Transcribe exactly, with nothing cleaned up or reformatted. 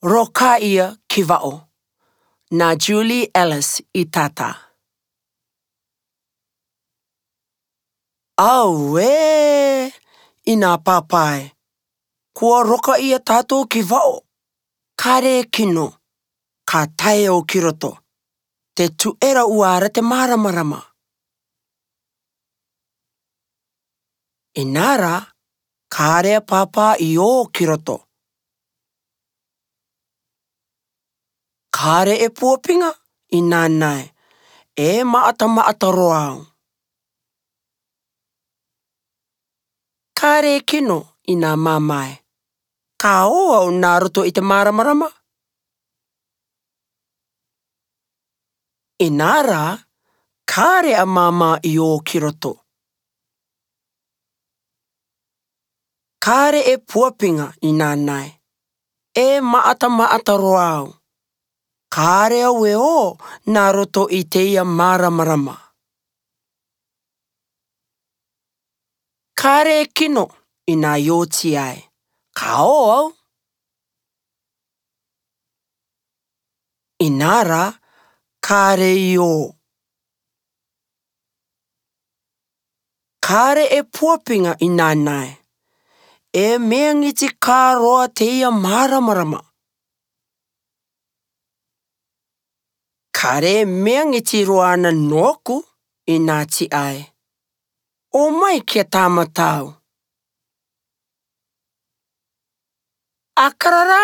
Roka ia ki vao. Nā Julie Ellis i tātā. Auē! Inā pāpā e! Kua roka ia tātou ki vao. Kāre e kino. Ka tae au ki roto. Te tuera uara te māramarama. Inā rā, kāre a pāpā i ō ki roto. Kāre e puapinga, inā nae. E maatamaata roa au. Kāre e kino, inā māmā e. Ka ō au nā roto i te māramarama. Inā rā, kāre a māmā i ō ki roto. Kāre e puapinga inā nae. E maatamaata roa au. Kāre au e ō nā roto i teia māramarama. Kāre e kino inā i oti ai. Ka ō au. Inā rā, kāre i ō. Kāre e puapinga inā nae. E meangiti kā roa teia māramarama. Kāre e meangiti roa ana nōku inā ti ai. O mai kia tāmatau. Akarara!